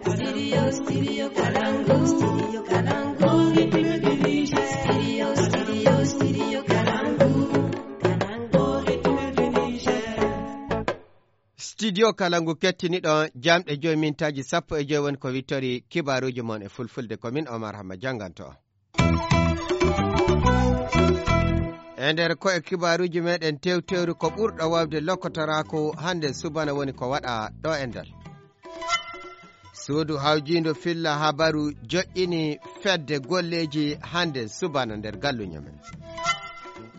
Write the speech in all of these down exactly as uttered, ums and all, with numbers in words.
Studio, studio Kalangu. Studio Kalangu. Studio, studio, studio Kalangu. Kalangu, Studio Kalangu kettiniɗo jamɗe joyi mintaaji sappo e joyi woni ko wittori kibaaruuji mon e fulfulde. Ko min Omar Hamma jannganto. E nder ko e kibaaruuji meɗen tewtewri ko ɓurɗo wawde lokotoraaku hannde subana woni ko waɗa ɗo e nder. Suudu hawjiindo filla habaru joƴƴini fedde golleeji hannde subana nder galluñe men.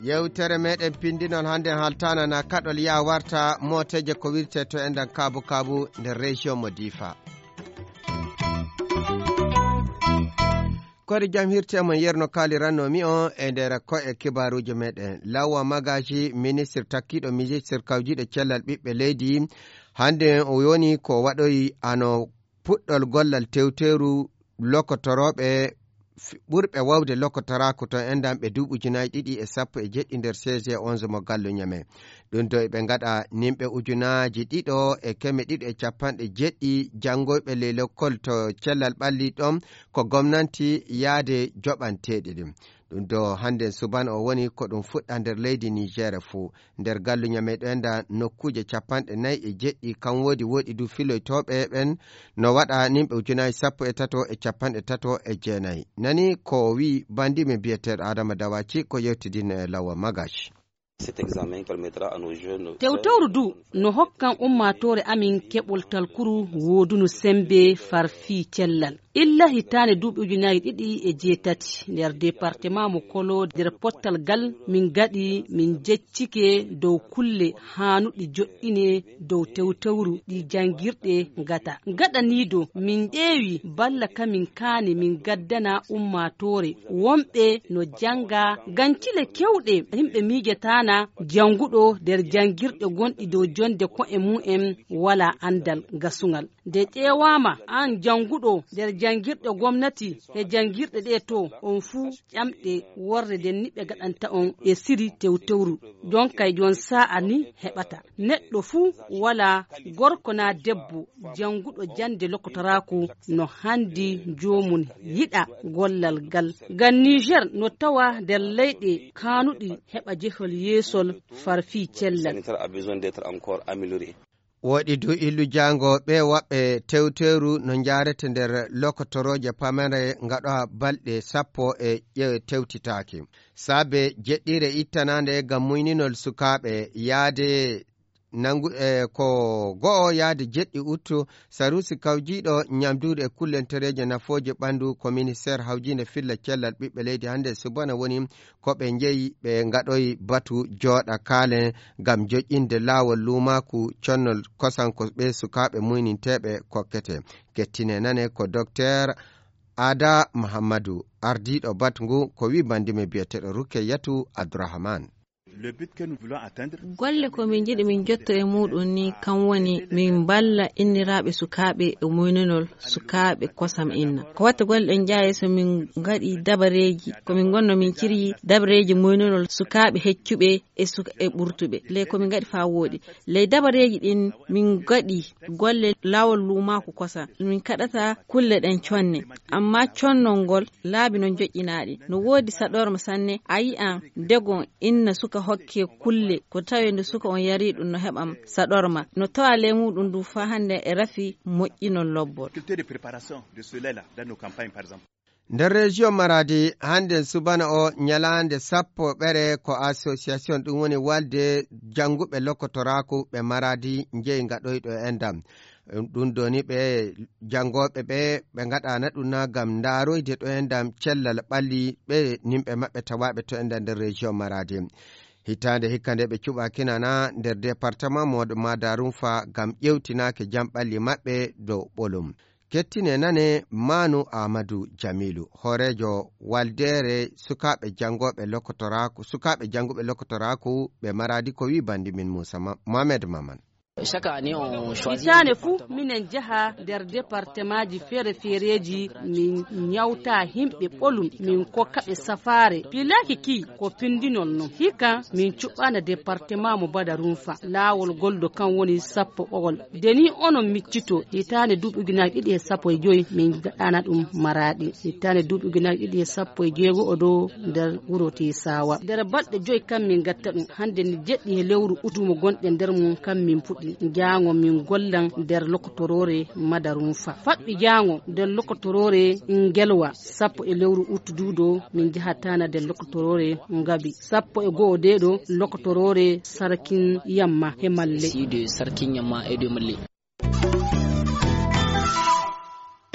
Yewtere meɗen pindinol hannde haltana na kaɗol ya warta mooteeje ko wirte to enɗan kaabu kaabu nder région mo Difa. Kori jam hirte mon yerno kaaliranno mi on e nder ko e kibaaruuji meɗen. Lawa Magaji, ministre takkiiɗo ministre kawjiiɗo cellal ɓiɓɓe leydi, hannde o yoni ko waɗoyi ano puɗɗol gollal tewteeru lokotorooɓe f-, ɓurɓe wawde lokotoraaku to enɗan ɓe duuɓi ujunaaji ɗiɗi e sappo e jeɗɗi nder C G onze mo Gallo Ñame. Ɗum ɗo eɓe ngaɗa nimɓe ujunaaji ɗiɗo e keme ɗiɗi e capanɗe jeɗɗi janngoyɓe ley lekkol to cellal ɓalli ɗon ko gomnanti yaade joɓanteeɗi ɗin. Ɗum ɗo hannden subana o woni ko ɗum fuɗɗa nder leydi Niger fuu. Nder Gallo Ñame ɗo enɗan nokkuuje capanɗe nayi e jeɗɗi, kan woodi, woodi du filoytooɓe ɓen no waɗa nimɓe ujunaaji sappo e tato e capanɗe tato e jeenayi. Nani ko wi'i banndi men biyeteeɗo Adama Dawaci ko yewtidinno e Lawa Magaji. Cet examen permettra à nos jeunes. Tewtewru du no hokkan ummaatoore amin keɓol talkuru woodunu sembe far fii cellal. Illa hitaande duuɓi ujunaaji ɗiɗi e jeetati, nder departement mo Kolo, nder pottal gal min gaɗi, min jeccike dow kulle haanuɗi joƴƴine dow tewtewru ɗi janngirɗe ngata. Gaɗaniido min ƴeewi balla ka min kaani min gaddana ummaatoore wonɓe no jannga gancile kewɗe yimɓe miijataana jannguɗo nder janngirɗe gonɗi dow jonde ko'e mum en walaa anndal gasungal. Nde ƴeewaama, aan jannguɗo nder janngirɗe gomnati e janngirɗe ɗee to, on fuu ƴamɗe worre nden ni ɓe gaɗanta on e siri tewtewru. Jon kay jon saa'a ni heɓata. Neɗɗo fuu walaa gorko naa debbo jannguɗo jannde lokotoraaku no hanndi joomum yiɗa gollal ngal. Ngam Niger no tawa nder leyɗe kaanuɗi heɓa jehol yeesol far fii cellal. Sanitaire a besoin d'être encore amélioré. Woɗi du illu jaango ɓe waɓɓe tewteeru no njaarete nder lokotorooje pamare ngaɗowa balɗe sappo e ƴe tewtitaaki. Saabe jeɗɗire ittanaande ngam muyninol sukaaɓe yaade nangu, e ko go'o yaade jeɗɗi uttu, sarusi kawjiiɗo ñamduuɗi e kullentereeje nafooje ɓanndu ko ministeer hawjiinde filla cellal ɓiɓɓe leydi hannde subana woni ko ɓe njeyi ɓe ngaɗoyi batu jooɗa kaalen ngam joƴƴinde laawol luumaaku connol kosan ko ɓe sukaaɓe muyninteeɓe kokkete. Kettine nane ko Dokteer Ada Mahammadu, ardiiɗo batu ngu, ko wi banndi men biyeteeɗo Rukeyyatu Abdurahman. Le but que nous voulons atteindre. Golle ko min njiɗi min jotto e muuɗum ni, kam woni min mballa inniraaɓe sukaaɓe e muynanol sukaaɓe kosam inna. Ko watta golle ɗen njaha yeeso, min ngaɗi dabareeji, ko min ngonno min ciryi dabareeji muynanol sukaaɓe heccuɓe e suka-, e ɓurtuɓe. Le ko min ngaɗi faa wooɗi. Ley dabareeji ɗin min ngaɗi golle laawol luumaaku kosam. Min kaɗata kulle ɗen conne. Amma connol ngol laabi no joƴƴinaaɗi. No woodi saɗorma sanne. A yi'an degon inna suka hokke kulle. Ko tawi nde suka on yari ɗum no heɓan saɗorma. No tawa ley muuɗum du faa hannde e rafi moƴƴinol lobbol. Faculté de préparation de ce lait-là dans nos campagnes, par exemple. Nder région Maradi, hannde subana o ñalaande sappo ɓere ko association ɗum woni walde jannguɓe lokotoraaku ɓe Maradi njeyi ngaɗoyɗo e ndam. Ɗum ɗo ni ɓe janngooɓe ɓe, ɓe ngaɗaana ɗum na ngam ndaaroyde ɗo e ndam cellal ɓalli ɓe nimɓe maɓɓe tawaaɓe to e ndam nder région Maradi. Hitaande hikka nde ɓe cuɓaakina na nder département mo Madarunfa ngam ƴeewtinaake jam ɓalli maɓɓe dow ɓolum. Kettine nane Manu Amadou Jamilu, hooreejo waldeere sukaaɓe janngooɓe lokotoraaku, sukaaɓe jannguɓe lokotoraaku ɓe Maradi ko wi banndi min Moussa Ma-, Mohamed Maman. Hitaande fuu minen njaha nder departemaaji feere-feereeji, min ñawta yimɓe ɓolum, min kokka ɓe safaare. Pilaaki kii ko pinndinol non. Hikka min cuɓɓaana departemaa mo Badarunfa. Laawol goldo kan woni sappo ɓogol. Nde nii onon miccitoo, hitaande duuɓi ujunaaji ɗiɗi e sappo e joy min ngaɗaana ɗum Maraaɗi. Hitaande duuɓi ujunaaji ɗiɗi e sappo e jeego o ɗo nder wuro Teesaawa. Nder balɗe joy kan min ngatta ɗum. Hannde ni jeɗɗi he lewru utu mo gonɗen nder mum kan min puɗɗi. Jaango min gollan nder lokotoroore Madarunfa. Faɓɓi jaango nder lokotoroore Ngelwa. Sappo e lewru utu duuɗo min njahataana nder lokotoroore Ngabi. Sappo e go'o deeɗo lokotoroore Sarkin Yamma he Malle. Sii de Sarkin Yamma e de Malle.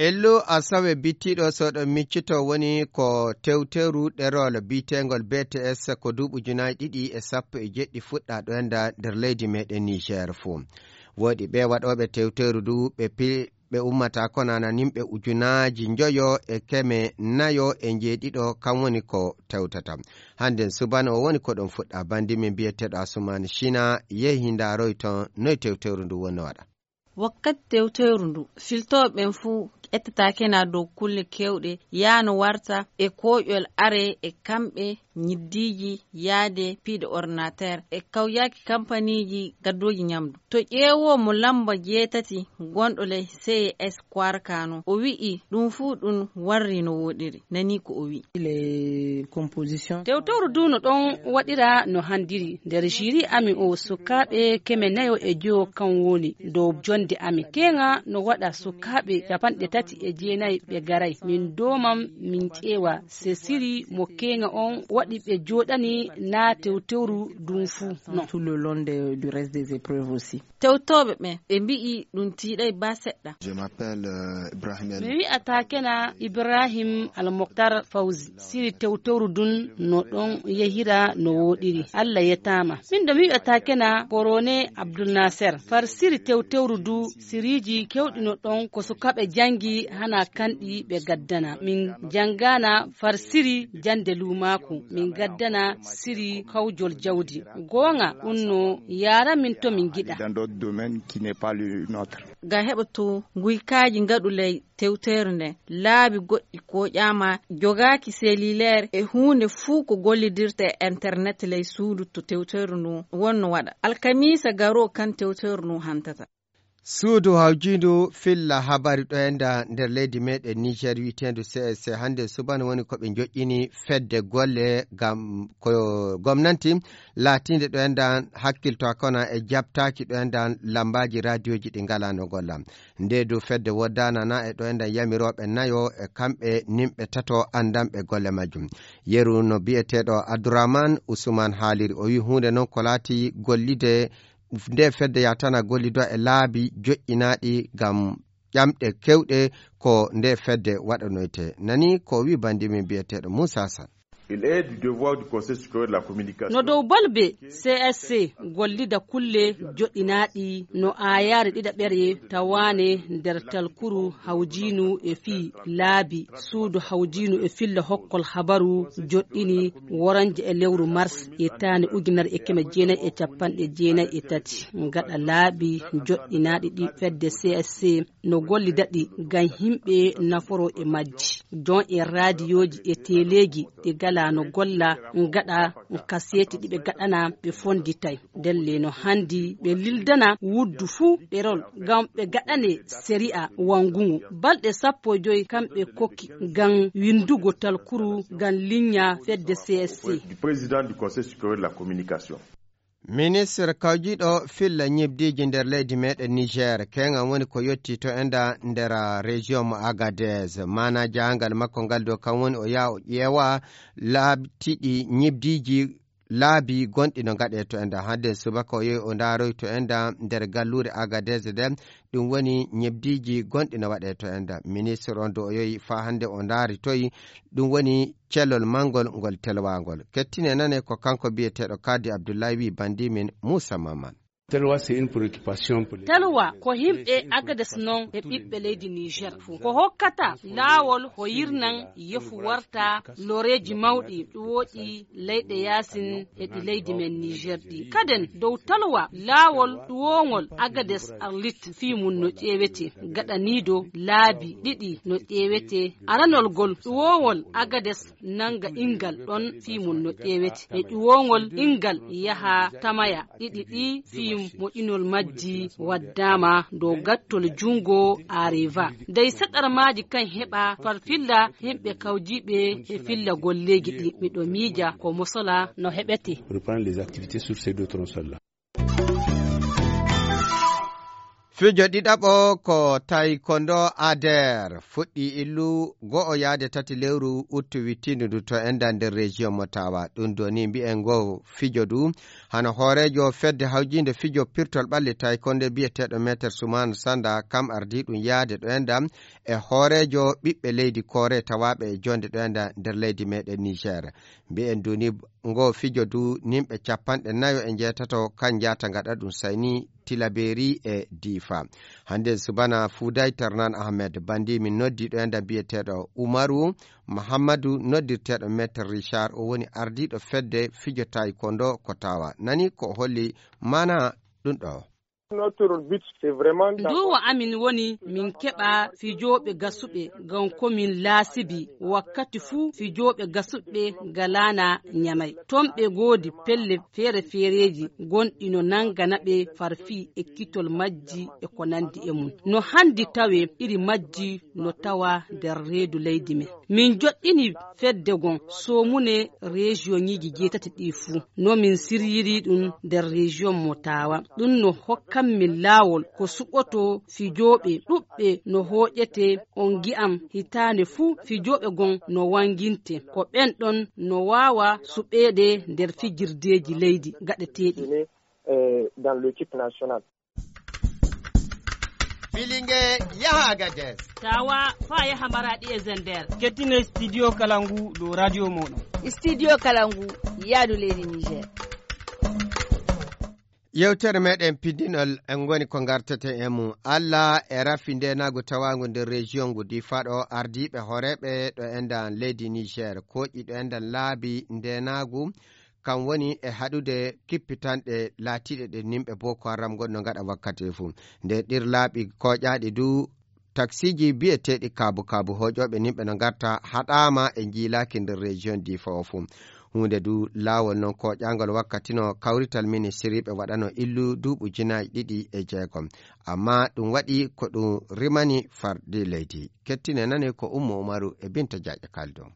Ello Asawe bittiiɗo soɗo miccito woni ko tewteru ɗerol biyeteengol B T S ko duuɓi ujunaaji ɗiɗi e sappo e jeɗɗi fuɗɗa ɗo enda nder leydi meɗen Niger fuu. Woodi ɓe waɗooɓe tewteru du ɓe pi-, ɓe ummata ko nana nimɓe ujunaaji njoyo e keme nayo e njeeɗiɗo kan woni ko tewtata. Hannden subana o woni ko ɗon fuɗɗa bandi min biyeteeɗo Asuman Shina yehi ndaaroy ton noy tewteru ndu woni waɗa. Wakkati tewteeru ndu, filtooɓe ɓen fuu ƴettataake na dow kulle keewɗe, yaano warta e kooƴol are e kamɓe, ñiddiiji, yaade piiɗe ordinateur e kawyaaki kampaniiji gaddooji ñamdu. To ƴeewoo mo lamba jeetati gonɗo ley C E S Kwarkano, o wi'i ɗum fuu ɗum warri no wooɗiri. Nanii ko o wi'i. Les compositions. Tewtowru du no ɗon waɗira no handiri. Nder jiri amin o sukaaɓe keme nayo e joyo kan woni dow jonde amin. Keeŋa no waɗa sukaaɓe capanɗe tati e jeenayi ɓe garay. Min doomam min ƴeewa se siri mo keeŋa on waɗi ɓe jooɗani na tewtewru dun fuu non. Tout le long de, du reste des épreuves aussi. Tewtooɓe ɓen ɓe mbi'i ɗum tiiɗay ba seɗɗa. Je m'appelle, euh, Ibrahim El. Mi wi'ata kena Ibrahim Al Moktar Fawzi. Siri tewtowru dun no ɗon yehira no wooɗiri. Allah yetaama. Min ɗo mi wi'ata kena Korone Abdul Naser. Far siri tewtewru du siriji kewɗi no ɗon ko sukaaɓe jangi hana kanɗi ɓe gaddana. Min jangana far siri jande luumaaku. Min gaddana siri kawjol jawdi. Goonga ɗun no yaara min to min giɗa. Dans d'autres domaines qui n'est pas le nôtre. Ga heɓa to nguykaaji ngaɗu ley tewteeru nden, laabi goɗɗi kooƴaama, jogaaki cellulaire e huunde fuu ko gollidirta e internet ley suudu to tewteeru ndun wonno waɗa. Alkamiisa garoo kan tewteeru ndun hantata. Suudu hawjiindu filla habari ɗo enda nder leydi meɗen Niger wi'eteendu C S C hannde subana woni ko ɓe joƴƴini fedde golle ngam ko gomnanti laatiinde ɗo enda hakkilto kona e jaɓtaaki ɗo enda lambaaji raadiyooji ɗi ngalaa no golla. Nde du fedde woddaana na e ɗo enda yamirooɓe nayo e kamɓe nimɓe tato anndanɓe golle majjum. Yeru no bi'eteeɗo Abdourahmane Ousmane haaliri, o wi'i huunde non ko laati gollide nde fedde yatana gollido e laabi joƴƴinaaɗi ngam ƴamɗe kewɗe ko nde fedde waɗanoyte. Nani ko wi bandi min biyeteeɗo Moussa Sall. Il est du devoir du Conseil supérieur de la communication. No dow balbe C S C gollida kulle joɗɗinaaɗi no aayaare ɗiɗaɓere tawaane nder talkuru hawjiinu e fii laabi suudu hawjiinu e filla hokkol habaru joɗɗini woranje e lewru mars e taane ujunere e keme jeenayi e capanɗe jeenayi e tati. Gaɗa laabi joɗɗinaaɗi ɗi fedde C S C no gollida ɗi ngam yimɓe naforo e majji. Jon e raadiyooji e teleeji ɗi gala no golla gaɗa kaseeti ɗi ɓe gaɗana ɓe fonditay. Ndelle no handi ɓe lildana wuddu fuu ɗerol ngam ɓe gaɗane seri'a wangungu. Balɗe sappo e joy kamɓe kokki ngam windugo talkuru ngam linya fedde C S C. Du président du Conseil supérieur de la communication. Ministre kawjiɗo filla ñibdiji nder leydi meɗen Niger, keŋan woni ko yotti to enda nder région mo Agadez. Mana jahangal makko ngal dow kan woni o yaha o ƴeewa laabi tiɗi ñibdiji laabi gonɗi no gaɗe to enda. Hadden subaka o yehi o ndaroy to enda nder gallure Agadez nden. Ɗum woni ñebdiiji gonɗi no waɗee to enda. Ministre on do o yehi faa hannde o ndaaritoyi. Ɗum woni celol manngol ngol telwaangol. Kettine nane ko kanko biyeteeɗo Kadi Abdullahi wi bandi min Moussa Maman. Talwa, c'est une préoccupation pour les Talwa ko yimɓe Agades noon e ɓiɓɓe leydi Niger fof. Ko hokkata laawol ko yirnan yefu warta loreeji mawɗi ɗuwooɗi leyɗe yaasin e ɗi leydi men Niger ɗi. Kaden dow Talwa laawol ɗuwoongol Agades Arlit fii mum no ƴeewete gaɗaniido laabi ɗiɗi no ƴeewete aranol gol ɗuwoongol Agades nannga inngal ɗon fii mum no ƴeewete e ƴuwoongol inngal yaha tamaya ɗiɗi ɗi fii moƴƴinol majji waddaama dow gattol junngo Areva dey saɗarmaaji kan heɓa farfilla himɓe kawjiiɓe e filla golleeji ɗi miɗo miija ko mosola no heɓete. Reprendre les activités sur ces deux tronçons là. Fijo ɗiɗaɓo ko taekwondo ader fuɗɗi illu go'o yaade tati lewru uttu wittindu ndu to enda nder région mo tawa ɗum doni mbi'en ngo fijo du hano hoorejo fedde hawjinde fijo pirtol ɓalli taekwondo biyeteɗo meter suman sanda kam ardi ɗum yaade ɗo enda e hoorejo ɓiɓɓe leydi kore tawaɓe e jonde ɗo enda nder leydi meɗen niger. Mbi'en duni ngo fijo du nimɓe capanɗe nayo e njeetato kan njaata ngaɗa ɗum sayni tilaberi e difa. Hande subana fuday ternan ahmed bandi min noddi ɗo enda biyeteɗo umaru mahammadu noddirteɗo maître richard o woni ardiɗo fedde fijo taekwondo ko tawa nani ko holli mana ɗum ɗo. Duwa amin woni min keɓa fijooɓe gasuɓe ngam ko min laasibi wakkati fuu fijooɓe gasuɓe ngalaana ñamay. Toon ɓe ngoodi pelle feere-feereeji gonɗi no nanngana ɓe farfii ekkitol majji e ko nanndi e mum. No hanndi tawee iri majji no tawaa nder reedu leydi men. Min joɗɗini fedde gon soomune rejiyoŋiiji jeetati ɗii fuu. No min siryiri ɗum nder rejiyon mo Taawa. Ɗum no hokkan min laawol ko suɓoto fijooɓe ɗuɓɓe no hooƴete on ngi'am hitaande fuu fijooɓe gon no wannginte. Ko ɓen ɗon no waawa suɓeede nder fijirdeeji leydi gaɗeteeɗi. Dans l'équipe nationale. Filinge yaha Agadez. Tawa fa yaha Maraɗi e Zender. Kettine studio kala ngu dow radio moɗon. Studio kala ngu yaadu leydi Niger. Yewtere meɗen piddinol en ngoni ko ngarteten e mum. Allah e rafi ndenagu tawagu nder région ngu Difa ɗo ardiɓe horeɓe ɗo endan leydi Niger koƴi ɗo endan laabi ndenagu kam woni e haɗude kippitanɗe laatiiɗe ɗe nimɓe Boko Haram ngonno ngaɗa wakkati e fuu. Nde ɗir laaɓi kooƴaaɗi du taksiiji biyeteeɗi kaabu kaabu hooƴooɓe nimɓe no ngarta haɗaama e njiilaaki nder région Difa o fuu. Huunde du laawol noon kooƴaangol wakkati no kawrital ministiriiɓe waɗano illu duuɓu jinaaji ɗiɗi e jeegom. Amma ɗum waɗi ko ɗum rimani fardi leydi. Kettine nane ko Ummu Umaru e Binta Jaaƴa Kaldo.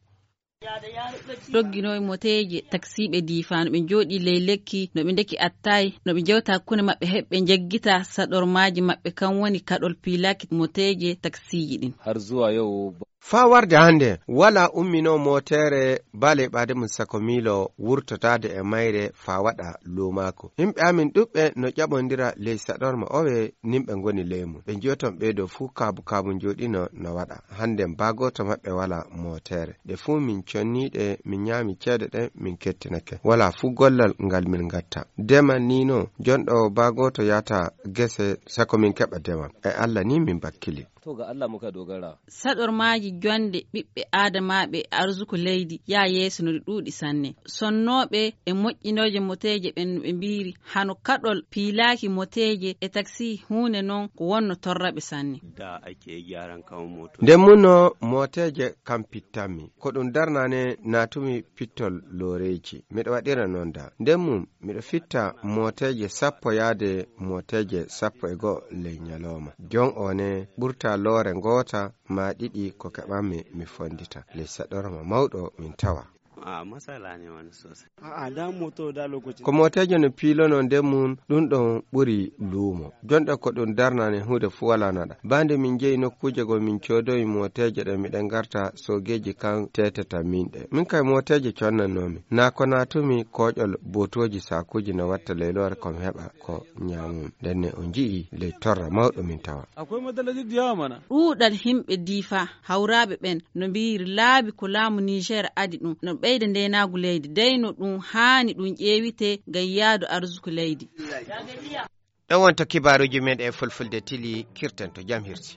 Dogginooɓe moteeje taksiiɓe Difa no ɓe njooɗii ley lekki no ɓe ndeki attaay no ɓe njewta hakkunde maɓɓe heɓɓe njeggita saɗormaaji maɓɓe kam woni kaɗol piilaaki moteeje taksiiji ɗin. Har zuwa yau. Faa warde hannde walaa umminoo mooteere baa ley ɓaade mum sako miilo wurtotaade e mayre faa waɗa luumaako. Yimɓe amin ɗuɓɓe no ƴaɓondira ley saɗorma owe nimɓe ngoni ley mum ɓe njiyoton ɓeydo fuu kaabu kaabu njooɗino no waɗa. Hannden baa gooto maɓɓe walaa mootere. Ɗe fuu min conniiɗe, min ñaami ceede ɗen, min kettinake. Walaa fuu gollal ngal min ngatta. Demal nii no, jonɗo baa gooto yaata gese sako min keɓa demal. E Alla nii min bakkili. To ga Alla muka dogara. Saɗormaaji jonnde ɓiɓɓe aadamaaɓe e arsuku leydi yaa yeeso no ɗi ɗuuɗi sanne. Sonnooɓe e moƴƴinooje moteeje ɓen no ɓe mbiiri hano kaɗol piilaaki moteeje e taksi huunde non ko wonno torraɓe sanne. Nden mun no mooteeje kam pittanmi. Ko ɗum darnane naatumi pittol looreeji. Miɗo waɗira non da. Nden mum miɗo fitta mooteeje sappo yaade mooteeje sappo e go'o ley ñalooma. Jon o ne ɓurta loore ngoota maa ɗiɗi ko keɓanmi mi fonndita. Ley saɗorma mawɗo min tawa. Ko mooteejo no piilono nden mum ɗum ɗon ɓuri luumo. Jonɗe ko ɗum darnane huunde fuu walaa naɗa. Baa nde min njehi nokkuuje goo min coodoyi mooteeje ɗe miɗen ngarta soogeeji kan teetata min ɗe. Min kay mooteeje connannoomi. Naa ko naatumi kooƴol bootooji saakuuji no watta ley loore ko mi heɓa ko ñaamumi. Ndenne on nji'i ley torra mawɗo min tawa. Akwai matsaloli da yawa mana. Ɗuuɗal himɓe Difa hawraaɓe ɓen no mbiiri laabi ko laamu Niger adi ɗum no ɓeyda ndeenaagu leydi dey no ɗum haani ɗum ƴeewite ngam yaadu arsuku leydi. Ɗo wonto kibaaruuji men e fulfulde tili, kirten to jam hirsi.